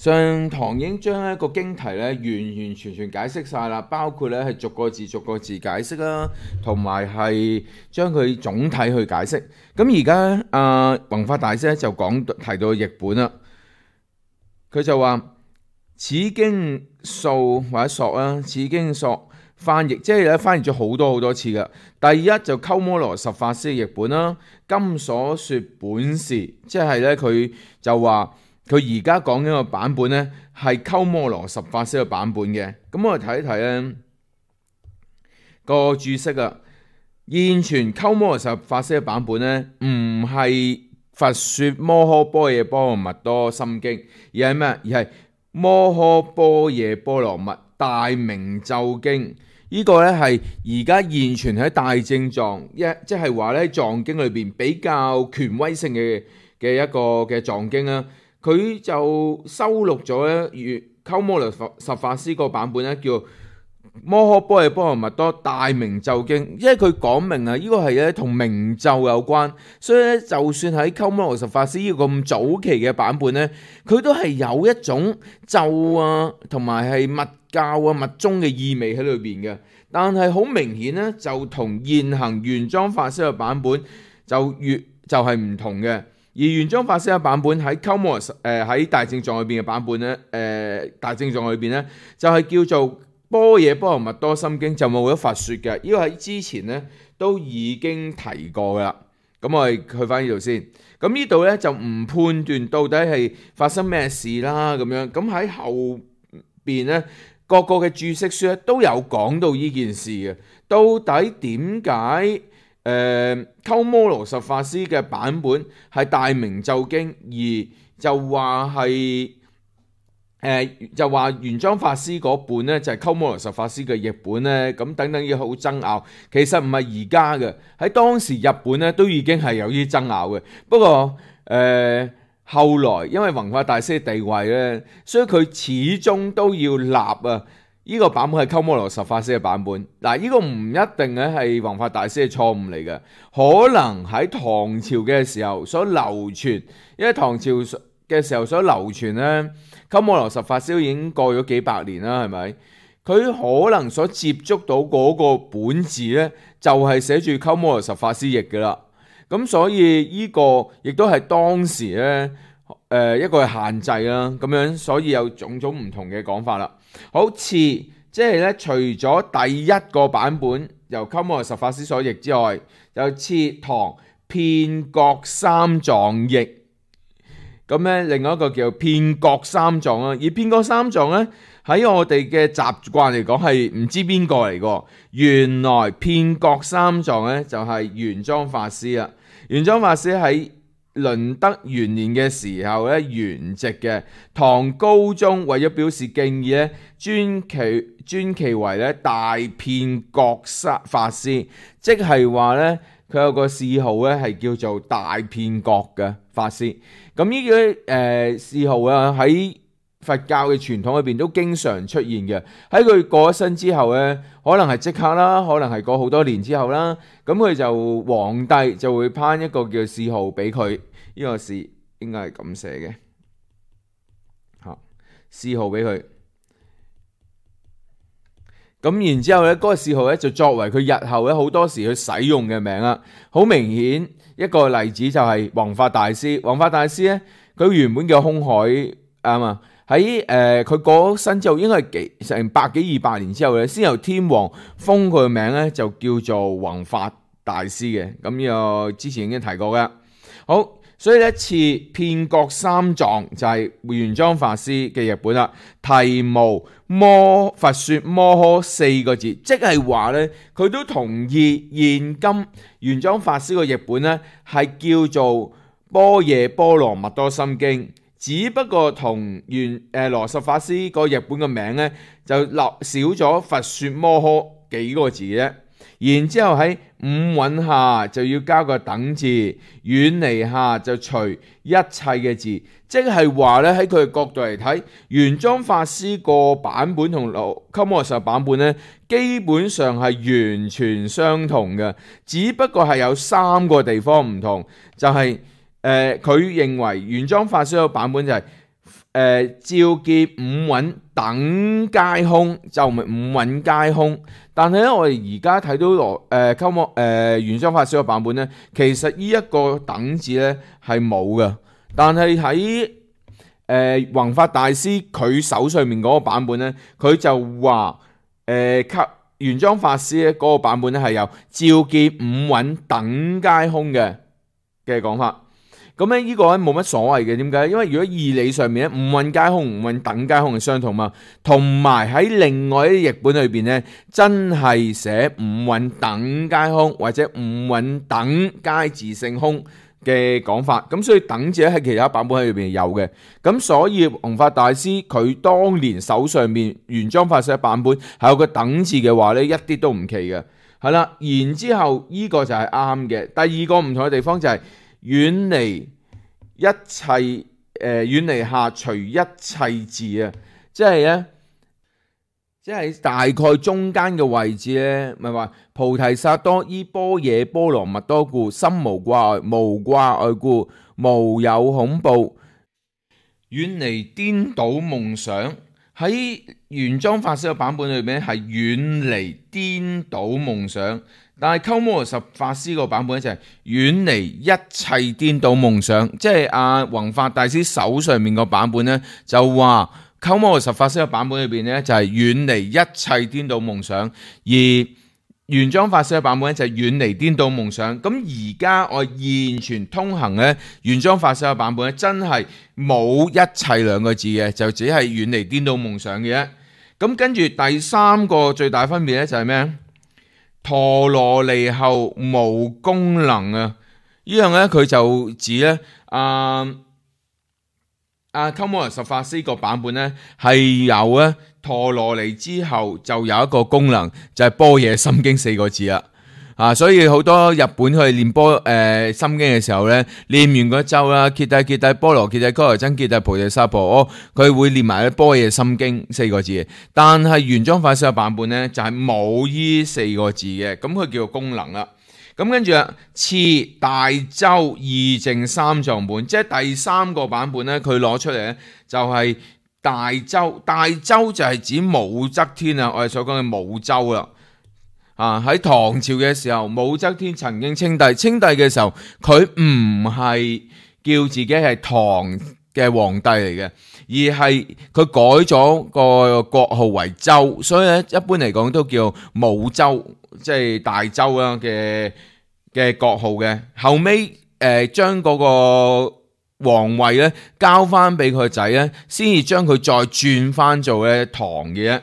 上堂已經將一個經題咧完完全全解釋晒啦，包括咧係逐個字逐個字解釋啦，同埋係將佢總體去解釋。咁而家弘法大師咧就提到譯本啦，佢就話此經數或者索啦，此經索翻譯即係咧翻譯咗好多次嘅。第一就鳩摩羅什法師嘅譯本啦，今所說本是，即係咧佢就話。佢而家講緊個版本呢，係鳩摩羅什法師嘅版本嘅。咁我哋睇一睇呢個注釋啊。現存鳩摩羅什法師嘅版本呢，唔係佛說摩訶般若波羅蜜多心經，而係咩？而係摩訶般若波羅蜜大明咒經。呢個呢係而家現存喺大正藏即係話呢藏經裏邊比較權威性嘅一個嘅藏經啦。佢就收錄咗咧，鳩摩羅什法師個版本咧，叫摩訶般若波羅蜜多大明咒經，因為佢講明啊，呢個係咧同明咒有關，所以咧就算喺鳩摩羅什法師呢個咁早期嘅版本咧，佢都係有一種咒啊，同埋係密教啊、密宗嘅意味喺裏邊嘅。但係好明顯咧，就同現行玄奘法師嘅版本就係唔同嘅。而玄奘法師嘅版本喺鳩摩羅喺大正藏裏邊嘅版本咧，大正藏裏邊咧就係叫做般若波羅蜜多心經，就冇咗佛說嘅。呢個喺之前咧都已經提過噶啦。咁我哋去翻呢度先。咁呢度咧就唔判斷到底係發生咩事啦咁樣。咁喺後邊咧各個嘅注釋書咧都有講到呢件事嘅。到底點解？鳩摩羅什法師嘅版本係大明咒經，而就話係就話玄奘法師嗰本咧就係鳩摩羅什法師嘅譯本咧，咁等等嘢好爭拗。其實唔係而家嘅，喺當時日本咧都已經係有啲爭拗嘅。不過後來因為弘法大師嘅地位咧，所以佢始終都要立啊。呢個版本係鳩摩羅什法師嘅版本，嗱，呢個唔一定咧係弘法大師嘅錯誤嚟嘅，可能喺唐朝嘅時候所流傳，因為唐朝嘅時候所流傳咧，鳩摩羅什法師已經過咗幾百年啦，係咪？佢可能所接觸到嗰個本字咧，就係寫住鳩摩羅什法師譯嘅啦，咁所以呢個亦都係當時咧一個限制啦，咁樣所以有種種唔同嘅講法啦。好似即係咧，除咗第一個版本由鳩摩羅什法師所譯之外，就次唐遍覺三藏譯。咁咧，另外一個叫遍覺三藏啦。而遍覺三藏咧，喺我哋嘅習慣嚟講係唔知邊個嚟個。原來遍覺三藏咧就係玄奘法師啦。玄奘法師喺麟德元年嘅時候咧，圓寂嘅。唐高宗為咗表示敬意咧，尊其為咧大遍覺法師，即係話咧佢有個諡號咧係叫做大遍覺嘅法師。咁呢個諡號啊喺佛教嘅傳統裏邊都經常出現嘅。喺佢過咗身之後咧，可能係即刻啦，可能係過好多年之後啦，咁佢就皇帝就會頒一個叫諡號俾佢。呢個字應該係咁寫嘅，諡號俾佢。咁然之後咧，嗰個諡號咧就作為佢日後咧好多時去使用嘅名啦。好明顯一個例子就係弘法大師。弘法大師咧，佢原本叫空海喺佢過咗身之後，應該係成百幾200年之後咧，先由天皇封佢嘅名咧，就叫做弘法大師嘅。咁呢個之前已經提過嘅。好。所以一次遍覺三藏就係玄奘法師嘅譯本啦，題無佛說摩訶4個字，即係話咧佢都同意現今玄奘法師個譯本咧係叫做般若波羅蜜多心經，只不過同羅什法師個譯本嘅名咧就少咗佛說摩訶幾個字啫。然之後喺五蘊下就要加個等字，遠離下就除一切嘅字，即係話咧喺佢嘅角度嚟睇，玄奘法師個版本同鳩摩羅什版本咧，基本上係完全相同嘅，只不過係有3個地方唔同，就係佢認為玄奘法師個版本就係照見五蘊等皆空，就唔係五蘊皆空。但係咧，我哋而家睇到鳩摩玄奘法師個版本咧，其實呢一個等字咧係冇嘅。但係喺弘法大師佢手上面嗰個版本咧，佢就話玄奘法師咧嗰個版本咧係有照見五蘊等皆空嘅講法。咁咧呢個咧冇乜所謂嘅，點解？因為如果義理上面咧，五蘊皆空、五蘊等皆空係相同嘛，同埋喺另外一啲譯本裏邊咧，真係寫五蘊等皆空或者五蘊等皆自性空嘅講法。咁所以等字喺其他版本喺裏邊有嘅。咁所以弘法大師佢當年手上面玄奘法師嘅版本係有個等字嘅話咧，一啲都唔奇嘅。係啦，然之後呢個就係啱嘅。第二個唔同嘅地方就係遠離一切遠離下隨一切字啊，即係咧，即係大概中間嘅位置咧，咪話菩提薩埵依般若波羅蜜多故，心無掛礙，無掛礙故，無有恐怖，遠離顛倒夢想。喺玄奘法師嘅版本裏面係遠離顛倒夢想，但係鳩摩羅什法師個版本就係遠離一切顛倒夢想。即係弘法大師手上面個版本咧，就話鳩摩羅什法師嘅版本裏邊咧就係遠離一切顛倒夢想，而玄奘法師嘅版本咧就係遠離顛倒夢想。咁而家我現傳通行咧，玄奘法師嘅版本咧真係冇一切兩個字嘅，就只係遠離顛倒夢想嘅啫。咁跟住第三個最大分別咧就係咩？陀羅尼後無功能啊！呢樣咧佢就指咧鳩摩羅什法師個版本咧係有咧陀羅尼之後就有一個功能，就係般若心經四個字啦。所以好多日本去練心經嘅時候咧，練完嗰咒啦，揭諦揭諦波羅揭諦伽羅僧揭諦菩提薩婆訶，佢會練埋般若心經四個字。但係玄奘法師嘅版本咧就係冇呢四個字嘅，咁佢叫做功能啦。咁跟住次大洲義淨三藏本，即係第三個版本咧，佢攞出嚟咧就係大洲。大洲就係指武則天啊，我哋所講嘅武周啦。喺唐朝嘅時候，武則天曾經稱帝，稱帝嘅時候佢唔係叫自己係唐嘅皇帝嚟嘅，而係佢改咗個國號為周，所以咧一般嚟講都叫武周，即係大周啦嘅國號嘅。後尾將嗰個皇位咧交翻俾佢個仔咧，先至將佢再轉翻做咧唐嘅啫。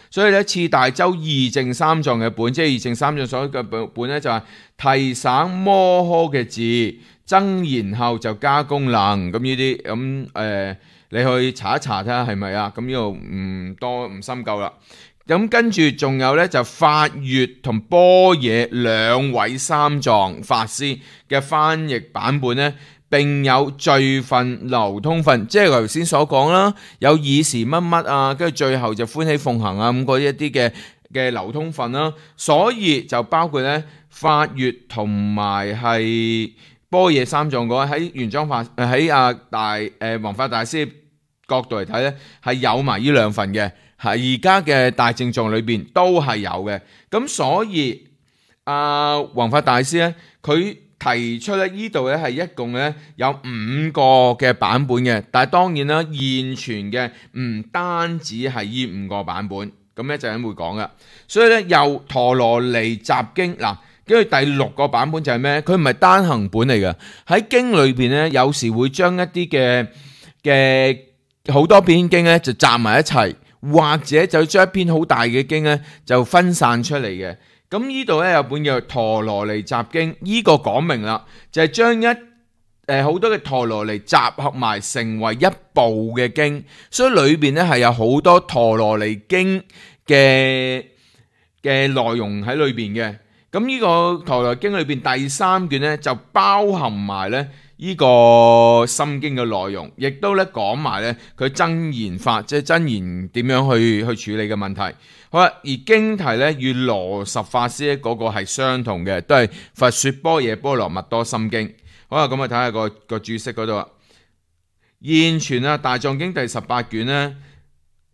所以咧，次大洲義淨三藏嘅本，即係義淨三藏所嘅本咧，就係提省摩訶嘅字，增言後就加功能。咁呢啲咁你去查一查睇下係咪啊？咁呢度唔深究啦。咁跟住仲有咧，就法月同般若兩位三藏法師嘅翻譯版本咧。並有序分流通分，即係頭先所講啦，有爾時乜乜啊，跟住最後就歡喜奉行啊，咁嗰一啲嘅流通分啦，所以就包括咧法月同埋係般若三藏嗰喺玄奘法喺弘法大師角度嚟睇咧，係有埋呢兩份嘅，係而家嘅大正藏裏邊都係有嘅，咁所以弘法大師咧佢提出咧，呢度咧係一共咧有5個嘅版本嘅，但係當然啦，現存嘅唔單止係呢5個版本，咁一陣會講噶。所以咧，又陀羅尼集經嗱，跟住第6個版本就係咩？佢唔係單行本嚟嘅，喺經裏邊咧，有時會將一啲嘅好多篇經咧就集埋一齊，或者就將一篇好大嘅經咧就分散出嚟嘅。咁呢度咧有本叫陀羅尼集經，呢個講明啦，就係將好多嘅陀羅尼集合埋成為一部嘅經，所以裏邊咧係有好多陀羅尼經嘅內容喺裏邊嘅。咁呢個陀羅尼經裏邊第3卷咧就包含埋咧呢個心經嘅內容，亦都咧講埋咧佢真言法，即係真言點樣去處理嘅問題。好啦，而經題咧與羅什法師咧嗰個係相同嘅，都係佛說般若波羅蜜多心經。好啦，咁我睇下個注釋嗰度啦。現存啊大藏經第18卷呢，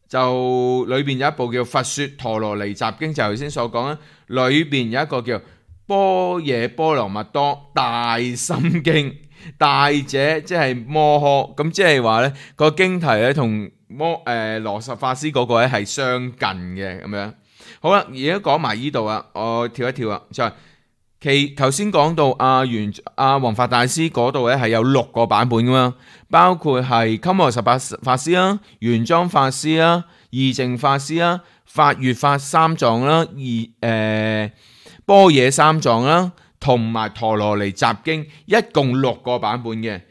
就裏邊有一部叫《佛說陀羅尼集經》，就頭先所講啦。裏邊有一個叫般若波羅蜜多大心經，大者即係摩訶，咁即係話呢個經題咧同羅什法師嗰個咧係相近嘅咁樣。好啦，而家講埋呢度啊，我跳一跳啊，就係頭先講到弘法大師嗰度咧係有6個版本噶嘛，包括係鳩摩羅什法師啦、玄奘法師啦、義淨法師啦、法月法三藏啦、般若三藏啦，同埋陀羅尼集經，一共6個版本嘅。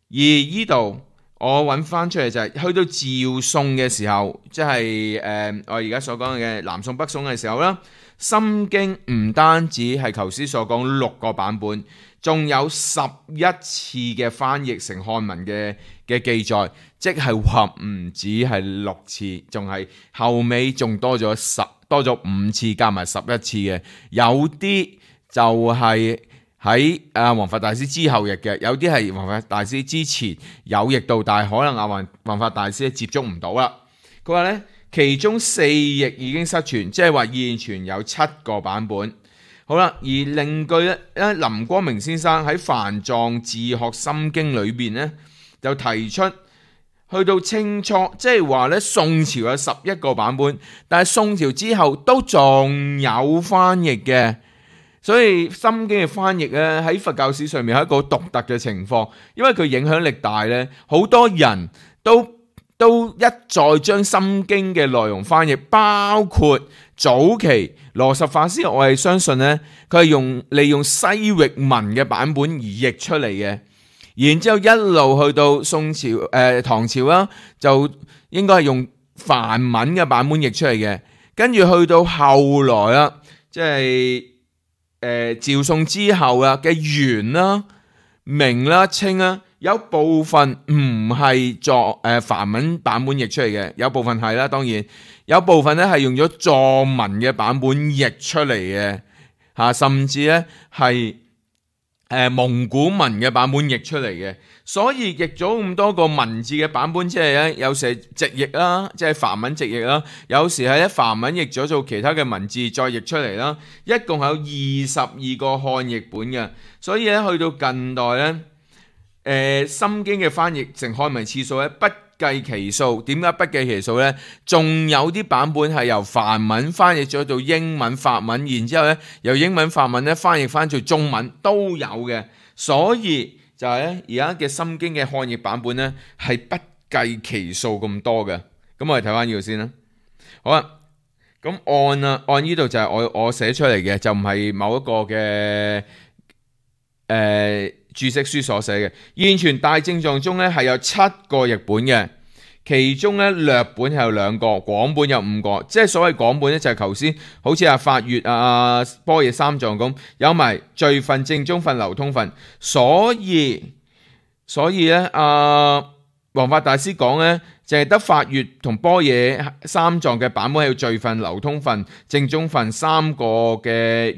而呢度我揾翻出嚟就係去到趙宋嘅時候，即係我而家所講嘅南宋北宋嘅時候啦，心經唔單止係頭先所講6個版本，仲有11次嘅翻譯成漢文嘅記載，即係話唔止係6次，仲係後尾仲多咗5次，加埋11次嘅。有啲就係喺弘法大師之後譯嘅，有啲係弘法大師之前有譯到，但係可能弘法大師接觸唔到啦。佢話呢，其中4譯已經失傳，即係話現存有7個版本。好啦，而另據咧，林光明先生喺《梵藏自學心經》裏邊呢，就提出去到清初，即係話咧宋朝有11個版本，但係宋朝之後都仲有翻譯嘅。所以心經嘅翻譯咧喺佛教史上面係一個獨特嘅情況，因為佢影響力大咧，好多人都一再將心經嘅內容翻譯，包括早期羅什法師，我係相信咧佢係利用西域文嘅版本而譯出嚟嘅，然之後一路去到宋朝唐朝啦，就應該係用梵文嘅版本譯出嚟嘅，跟住去到後來啦，即係趙宋之後啦嘅元啦、明啦、清啦，有部分唔係作梵文版本譯出嚟嘅，有部分係啦，當然有部分咧係用咗藏文嘅版本譯出嚟嘅，甚至咧係蒙古文嘅版本譯出嚟嘅。所以譯咗咁多個文字嘅版本，即係咧有時係直譯啦，即係梵文直譯啦，有時係咧梵文譯咗做其他嘅文字再譯出嚟啦，一共有22個漢譯本嘅。所以咧去到近代咧，心經嘅翻譯成漢文次數咧不計其數。點解不計其數咧？仲有啲版本係由梵文翻譯咗做英文、法文，然之後咧由英文、法文咧翻譯翻做中文都有嘅。所以就係咧，而家嘅心經嘅漢譯版本咧係不計其數咁多嘅。咁我哋睇翻呢度先啦。好啊，咁按呢度就係我寫出嚟嘅，就唔係某一個嘅注釋書所寫嘅。現存大正藏中咧係有7個譯本嘅，其中咧略本係有2個，廣本有5個。即係所謂廣本咧就係頭先好似法月般若三藏咁，有埋序分、正宗分、流通分。所以咧弘法大師講咧，淨係得法月同般若三藏嘅版本係要序分、流通分、正宗分3個嘅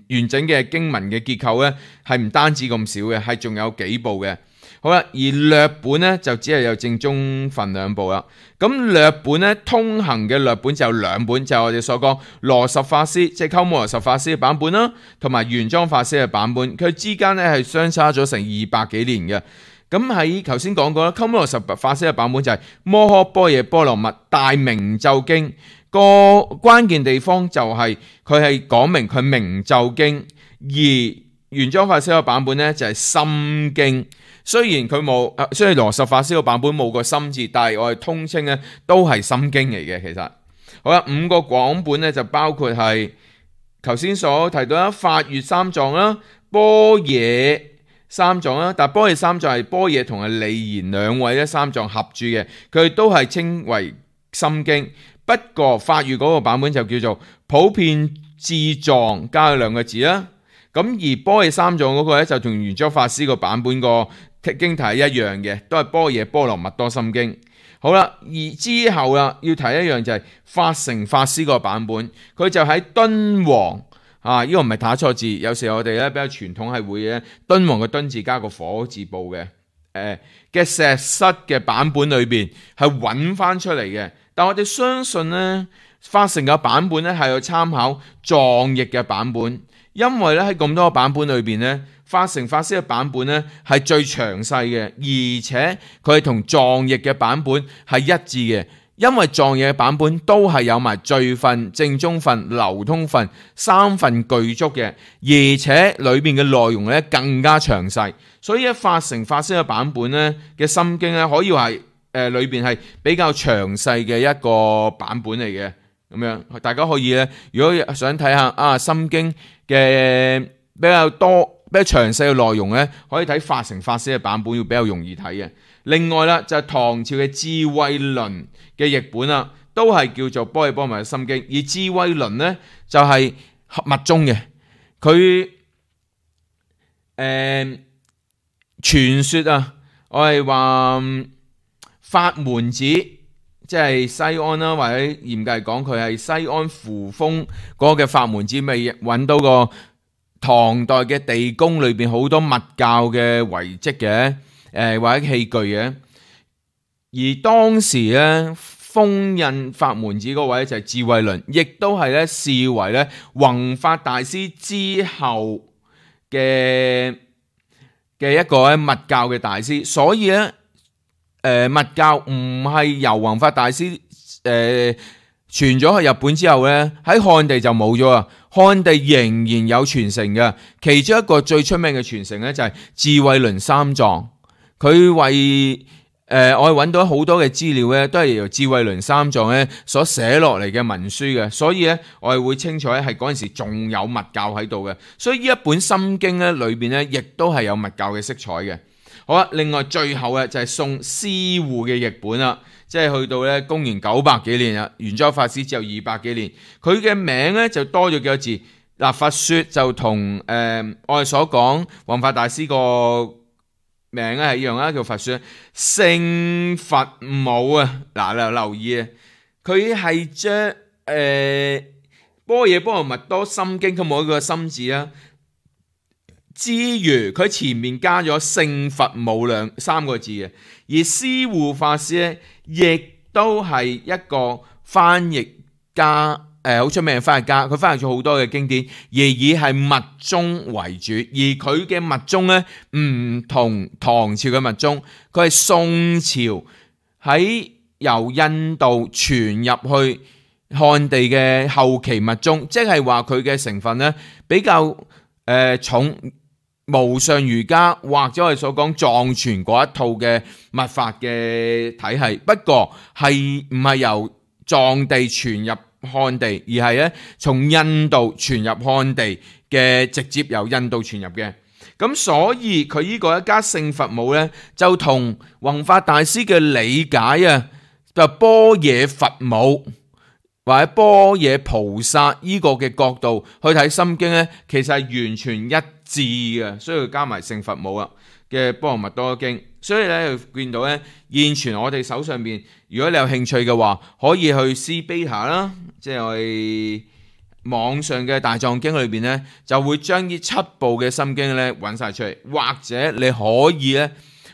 完整嘅經文嘅結構咧，係唔單止咁少嘅，係仲有幾部嘅。好啦，而略本咧就只係有正宗分2部啦。咁略本咧通行嘅略本就有2本，就係我哋所講羅什法師即係鳩摩羅什法師嘅版本啦，同埋玄奘法師嘅版本，佢之間咧係相差咗成200幾年嘅。咁喺頭先講過啦，鳩摩羅什法師嘅版本就係摩訶般若波羅蜜大明咒經，個關鍵地方就係佢係講明佢明咒經，而玄奘法師嘅版本咧就係心經。雖然羅什法師個版本冇個心字，但係我哋通稱咧都係心經嚟嘅。其實好啦，5個廣本咧就包括係頭先所提到啦，法月三藏啦、般若三藏啦，但係般若三藏係般若同係利言2位咧三藏合著嘅，佢都係稱為心經。不過法月嗰個版本就叫做普遍智藏加咗2個字啦。咁而般若三藏嗰個咧就同玄奘法師個版本個經題係一樣嘅，都係般若波羅蜜多心經。好啦，而之後啦要提一樣就係法成法師個版本，佢就喺敦煌呢個唔係打錯字，有時我哋咧比較傳統係會咧敦煌嘅敦字加個火字部嘅。嘅石室嘅版本裏邊係揾翻出嚟嘅。但我哋相信呢，法成嘅版本咧係有參考藏譯嘅版本，因為咧喺咁多個版本裏邊咧，法成法師嘅版本咧係最詳細嘅，而且佢係同藏譯嘅版本係一致嘅。因為藏譯嘅版本都係有埋序分、正宗分、流通分3份具足嘅，而且裏邊嘅內容咧更加詳細，所以法成法師嘅版本咧嘅心經咧可以話係裏邊係比較詳細嘅一個版本嚟嘅。咁樣大家可以咧，如果想睇下心經嘅比較多、比較詳細嘅內容咧，可以睇法成法師嘅版本，要比較容易睇嘅。另外啦，就係唐朝嘅智慧輪嘅譯本啦，都係叫做般若波羅蜜心經。而智慧輪咧就係密宗嘅，佢傳說啊，我係話法門寺，即係西安啦，或者嚴格嚟講，佢係西安扶風嗰個嘅法門寺，未揾到個唐代嘅地宮裏邊好多密教嘅遺跡嘅。或者器具嘅，而當時咧封印法門寺嗰位就係智慧輪，亦都係咧視為咧弘法大師之後嘅一個咧密教嘅大師，所以咧密教唔係由弘法大師傳咗去日本之後咧，喺漢地就冇咗啊，漢地仍然有傳承嘅，其中一個最出名嘅傳承咧就係智慧輪三藏。佢為我哋揾到好多嘅資料咧，都係由智慧輪三藏咧所寫落嚟嘅文書嘅，所以咧我哋會清楚咧係嗰陣時仲有密教喺度嘅，所以呢一本心經咧裏邊咧亦都係有密教嘅色彩嘅。好啦，另外最後嘅就係宋施護嘅譯本啦，即係去到咧公元900幾年啦，玄奘法師之後200幾年，佢嘅名咧就多咗幾個字。嗱，佛說就同我哋所講弘法大師個名咧係一樣啦，叫佛說聖佛母啊。嗱，你留意啊，佢係將般若波羅蜜多心經，佢冇一個心字啦，之餘佢前面加咗聖佛母3個字嘅。而施護法師咧，亦都係一個翻譯家。好出名嘅翻譯家，佢翻譯咗好多嘅經典，而以係密宗為主，而佢嘅密宗咧唔同唐朝嘅密宗，佢係宋朝喺由印度傳入去漢地嘅後期密宗，即係話佢嘅成分咧比較重無上瑜伽或者我哋所講藏傳嗰一套嘅密法嘅體系，不過係唔係由藏地傳入漢地，而係咧從印度傳入漢地嘅，直接由印度傳入嘅。咁所以佢呢個一家聖佛母咧，就同弘法大師嘅理解啊，就般若佛母或者般若菩薩呢個嘅角度去睇心經咧，其實係完全一致嘅，所以佢加埋聖佛母啊嘅般若蜜多經。所以咧，見到咧現存我哋手上邊，如果你有興趣嘅話，可以去 CBeta 啦，即係我哋網上嘅大藏經裏邊咧，就會將呢7部嘅心經咧揾晒出嚟，或者你可以咧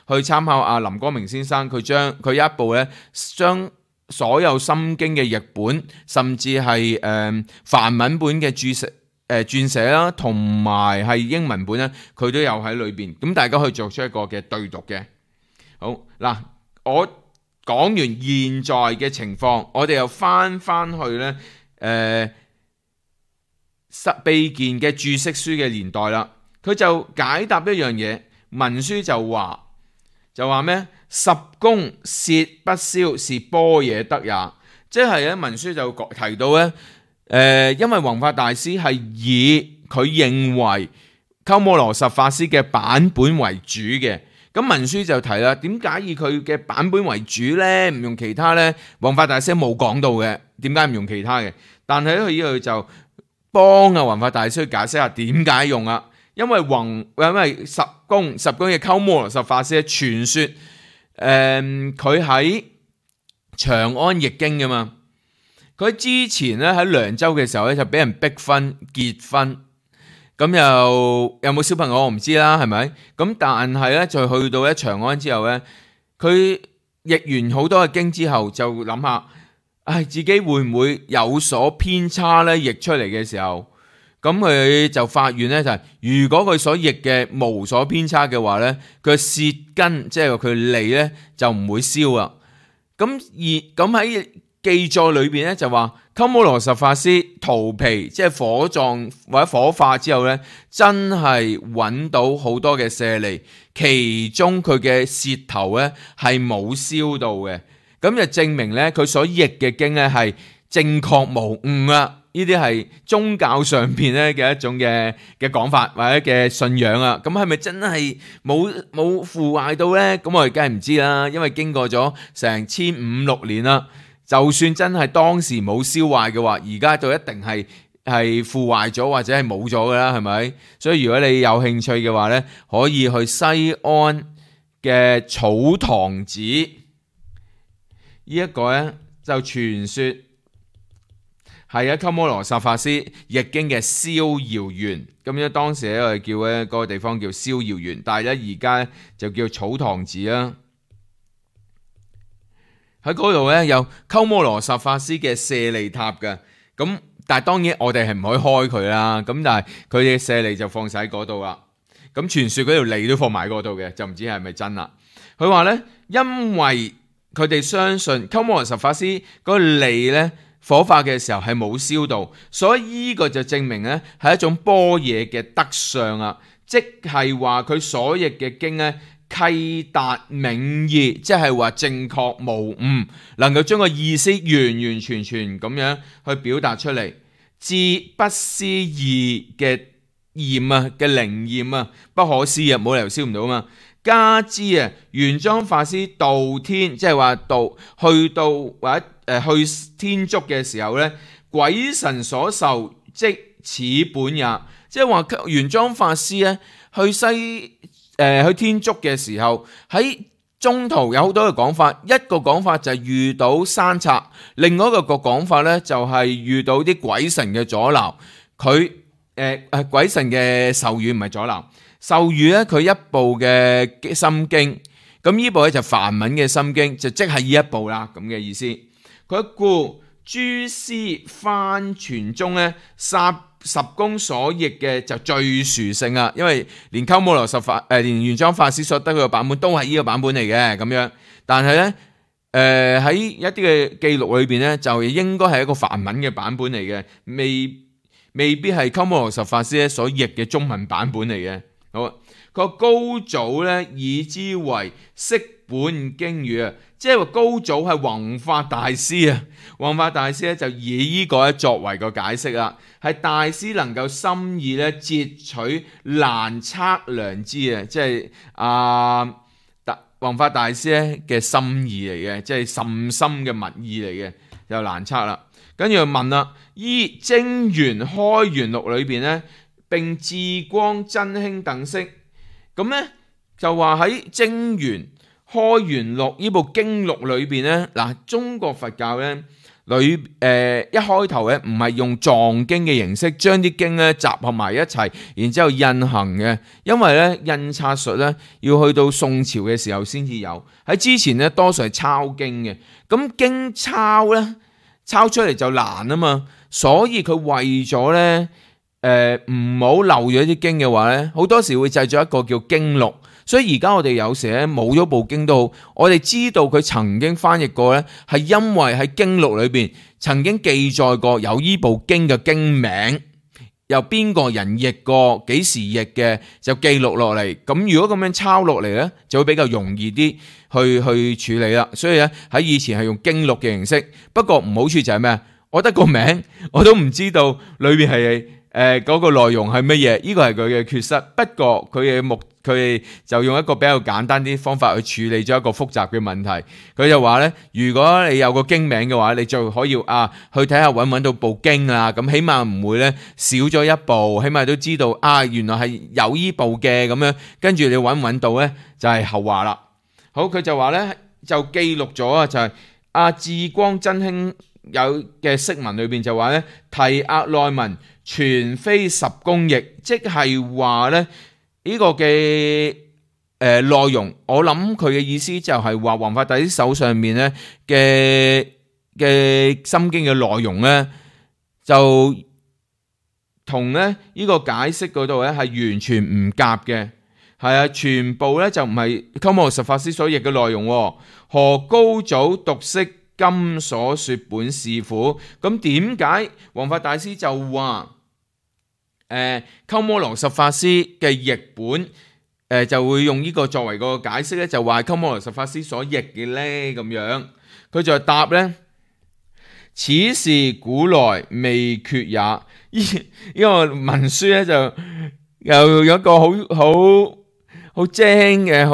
去參考阿林光明先生，佢將佢一部咧將所有心經嘅譯本，甚至係梵文本嘅撰寫啦，同埋係英文本咧，佢都有喺裏邊，咁大家可以作出一個嘅對讀嘅。好嗱，我講完現在嘅情況，我哋又翻去咧秘賢嘅注釋書嘅年代啦。佢就解答一樣嘢，文書就話咩？十功攝不消，是般若得也。即係咧，文書就提到咧，因為弘法大師係以佢認為鳩摩羅什法師嘅版本為主嘅。咁文書就提啦，點解以佢嘅版本為主咧？唔用其他咧？弘法大師冇講到嘅，點解唔用其他嘅？但係咧，佢呢度就幫弘法大師去解釋下點解用啊？因為十功嘅鳩摩羅什法師傳說，佢喺長安譯經噶嘛。佢之前咧喺涼州嘅時候咧就俾人逼婚結婚，咁又有冇小朋友我唔知啦，係咪？咁但係咧，就去到長安之後咧，佢譯完好多嘅經之後，就諗下，自己會唔會有所偏差咧？譯出嚟嘅時候，咁佢就發現咧，就係如果佢所譯嘅無所偏差嘅話咧，佢舌根即係佢脷咧就唔會燒啊。咁喺記載裏邊咧就話，鳩摩羅什法師荼毗即係火葬或者火化之後咧，真係揾到好多嘅舍利，其中佢嘅舌頭咧係冇燒到嘅，咁就證明咧佢所譯嘅經咧係正確無誤啊！呢啲係宗教上邊咧嘅一種嘅講法或者嘅信仰啊，咁係咪真係冇腐壞到呢？咁我哋梗係唔知啦，因為經過咗成1500-16年啦，就算真係當時冇燒壞嘅話，而家就一定係腐壞咗或者係冇咗噶啦，係咪？所以如果你有興趣嘅話呢，可以去西安嘅草堂寺，呢一個呢，就傳說係鳩摩羅什法師譯經嘅逍遙園，咁樣當時咧我哋叫咧嗰個地方叫逍遙園，但係咧而家就叫草堂寺啦。喺嗰度咧有鳩摩羅什法師嘅舍利塔嘅，咁但係當然我哋係唔可以開佢啦，咁但係佢嘅舍利就放晒喺嗰度啦。咁傳說嗰條脷都放埋喺嗰度嘅，就唔知係咪真啦。佢話咧，因為佢哋相信鳩摩羅什法師嗰個脷咧火化嘅時候係冇燒到，所以呢個就證明咧係一種般若嘅德相啊，即係話佢所譯嘅經咧契達銘義，即係話正確無誤，能夠將個意思完完全全咁樣去表達出嚟，至不思議嘅驗啊嘅靈驗啊，不可思議啊，冇理由燒唔到嘛。加之啊，玄奘法師度天，即係話去到或者去天竺嘅時候咧，鬼神所受即此本也，即係話玄奘法師咧去天竺嘅時候，喺中途有好多嘅講法，一個講法就係遇到山賊，另外一個講法咧就係遇到啲鬼神嘅阻撓，佢鬼神嘅授予唔係阻撓。授予咧佢一部嘅心經，咁呢部咧就梵文嘅心經，就即係呢一部啦咁嘅意思。佢故諸師翻傳中咧，十公所譯嘅就最殊勝啊，因為連鳩摩羅什法連玄奘法師所得佢嘅版本都係呢個版本嚟嘅咁樣。但係咧喺一啲嘅記錄裏邊咧，就應該係一個梵文嘅版本嚟嘅，未必係鳩摩羅什法師咧所譯嘅中文版本嚟嘅。好，佢話高祖咧以之為釋本經語啊，即係話高祖係弘法大師啊，弘法大師咧就以呢個咧作為個解釋啦，係大師能夠心意咧截取難測量之啊，即係弘法大師咧嘅心意嚟嘅，即係甚深嘅密意嚟嘅，就難測啦。跟住就問啦，依精元開元錄裏邊咧，並智光真興等釋，咁咧就話喺精元開元錄呢部經錄裏邊咧，嗱中國佛教咧一開頭咧唔係用藏經嘅形式將啲經咧集合埋一齊，然之後印行嘅，因為咧印刷術咧要去到宋朝嘅時候先至有，喺之前咧多數係抄經嘅，咁經抄咧抄出嚟就難啊嘛，所以佢為咗咧唔好漏咗啲經嘅話咧，好多時會製作一個叫經錄，所以而家我哋有時咧冇咗部經都好，我哋知道佢曾經翻譯過咧，係因為喺經錄裏邊曾經記載過有依部經嘅經名，由邊個人譯過，幾時譯嘅，就記錄落嚟。咁如果咁樣抄落嚟咧，就會比較容易啲去處理啦。所以咧喺以前係用經錄嘅形式，不過唔好處就係咩？我得個名我都唔知道裏邊係嗰個內容係乜嘢，呢個係佢嘅缺失。不過佢就用一個比較簡單啲方法去處理咗一個複雜嘅問題。佢就話咧，如果你有個經名嘅話，你就可以去睇下揾到部經啊，咁起碼唔會咧少咗一部，起碼都知道原來係有依部嘅咁樣。跟住你揾到咧就係後話啦。好，佢就話咧就記錄咗就係智光真興有嘅釋文裏邊就話咧，提押內文全非10公譯，即係話咧呢個嘅內容，我諗佢嘅意思就係話王法大師手上面咧嘅心經嘅內容咧，就同咧呢個解釋嗰度咧係完全唔夾嘅，係啊，全部咧就唔係鳩摩羅什法師所譯嘅內容。何高祖獨釋今所說本是苦？咁點解王法大師就話鳩摩羅什法師嘅譯本就會用呢個作為個解釋咧？就話鳩摩羅什法師所譯嘅咧咁樣，佢就答咧：此事古來未決也。呢個文書咧就又有一個好精嘅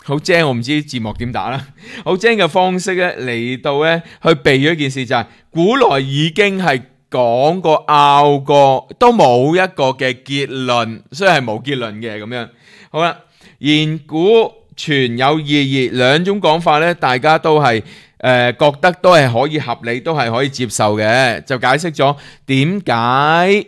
好精，我唔知字幕點打啦，好精嘅方式咧嚟到咧去避咗一件事，就係古來已經係講過拗過，都冇一個嘅結論，所以係冇結論嘅咁樣。好啦，言古全有異議，兩種講法咧，大家都係覺得都係可以合理，都係可以接受嘅，就解釋咗點解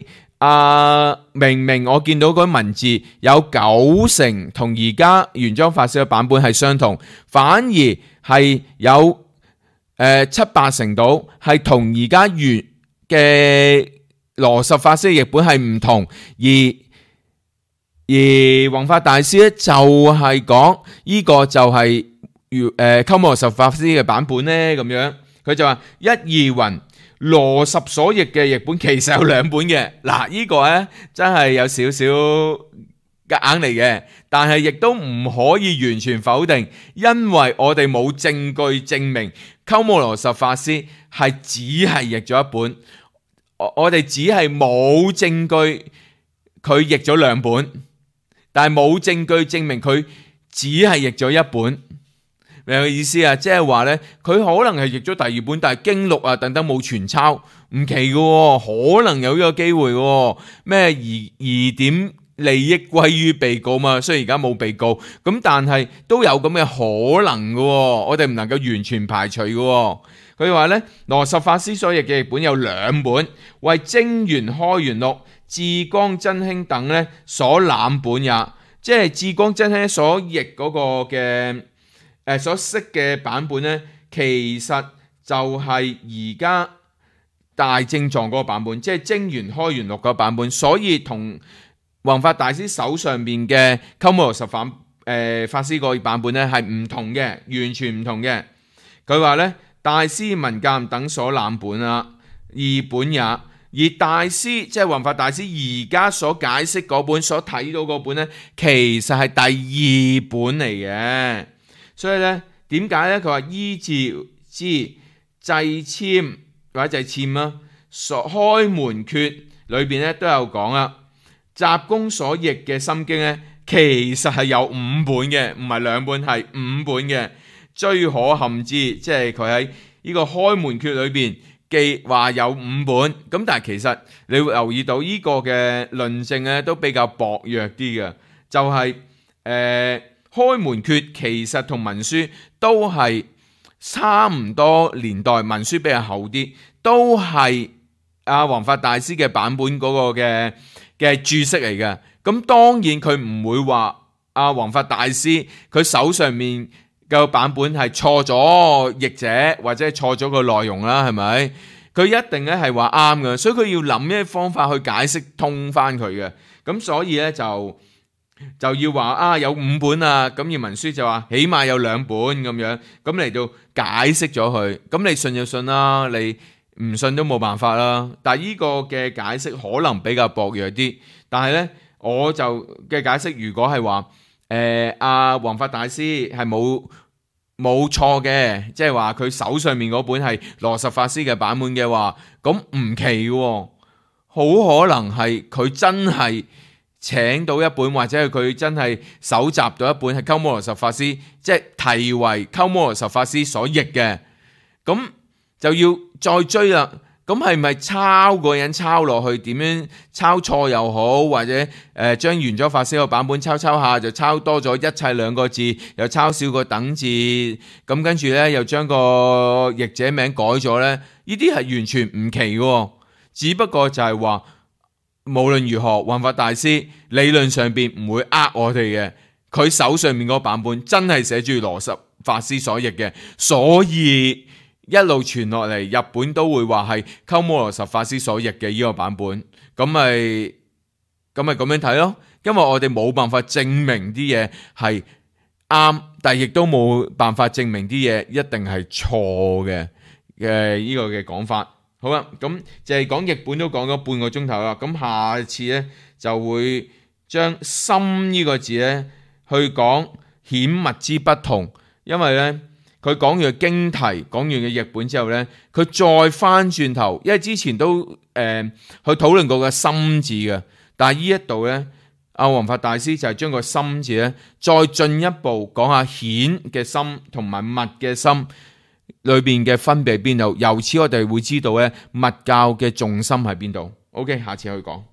明明我見到嗰文字有90%同而家玄奘法師嘅版本係相同，反而係有7-8成到係同而家原嘅羅什法師嘅譯本係唔同，而弘法大師咧就係講呢個就係鳩摩羅什法師嘅版本咧咁樣，佢就話一二云羅什所譯嘅譯本其實有2本嘅。嗱，呢個咧真係有少少夾硬嚟嘅，但係亦都唔可以完全否定，因為我哋冇證據證明鳩摩羅什法師係只係譯咗一本，我哋只係冇證據佢譯咗2本，但係冇證據證明佢只係譯咗一本。明嘅意思啊，即係話咧，佢可能係譯咗第2本，但係經錄啊等等冇全抄，唔奇嘅，可能有呢個機會嘅。咩疑點利益歸於被告嘛，雖然而家冇被告，咁但係都有咁嘅可能嘅，我哋唔能夠完全排除嘅。佢話咧，羅什法師所譯嘅譯本有2本，為精元開元錄、智光真興等咧所攬本也，即係智光真興所譯嗰個嘅。所識嘅版本咧，其實就係而家大正藏嗰個版本，即係精元開元錄嗰個版本，所以同弘法大師手上面嘅鳩摩羅什法師個版本咧係唔同嘅，完全唔同嘅。佢話咧，大師文鑑等所攬本啊2本也，而大師即係弘法大師而家所解釋嗰本所睇到嗰本咧，其實係第2本嚟嘅。所以咧，點解咧？佢話依照之制簽或者制簽啦，所開門訣裏邊咧都有講啦。雜公所譯嘅心經咧，其實係有5本嘅，唔係2本，係5本嘅。追可陷之，即係佢喺呢個開門訣裏邊記話有5本，咁但係其實你會留意到呢個嘅論證咧都比較薄弱啲嘅，就係開門訣其實同文書都係差唔多年代，文書比較厚啲，都係弘法大師嘅版本嗰個嘅注釋嚟嘅。咁當然佢唔會話弘法大師佢手上面嘅版本係錯咗譯者或者係錯咗個內容啦，係咪？佢一定咧係話啱嘅，所以佢要諗一啲方法去解釋通翻佢嘅。咁所以咧就要話有5本啊，咁而文書就話起碼有2本咁樣，咁嚟到解釋咗佢。咁你信就信啦，你唔信都冇辦法啦。但係呢個嘅解釋可能比較薄弱啲，但係咧我就嘅解釋，如果係話弘法大師係冇錯嘅，即係話佢手上面嗰本係羅什法師嘅版本嘅話，咁唔奇喎，好可能係佢真係請到一本，或者係佢真係搜集到一本係鳩摩羅什法師，即係題為鳩摩羅什法師所譯嘅，咁就要再追啦。咁係咪抄個人抄落去？點樣抄錯又好，或者將原咗法師個版本抄下就抄多咗一切兩個字，又抄少個等字，咁跟住呢，又將個譯者名改咗呢？呢啲係完全唔奇嘅，只不過就係話無論如何，弘法大師理論上邊唔會呃我哋嘅，佢手上面嗰個版本真係寫住羅什法師所譯嘅，所以一路傳落嚟，日本都會話係鳩摩羅什法師所譯嘅呢個版本，咁咪咁樣睇咯。因為我哋冇辦法證明啲嘢係啱，但係亦都冇辦法證明啲嘢一定係錯嘅呢個嘅講法。好啦，咁就係講譯本都講咗半個鐘頭啦，咁下次呢，就會將心呢個字呢去講顯密之不同，因為呢。佢講完嘅經題，講完嘅譯本之後呢，佢再翻轉頭，因為之前都去討論過個心字嘅，但係呢一度呢，阿弘法大師就係將個心字呢再進一步講下顯嘅心同埋密嘅心裏邊嘅分別喺邊度，由此我哋會知道呢，密教嘅重心喺邊度。OK， 下次去講。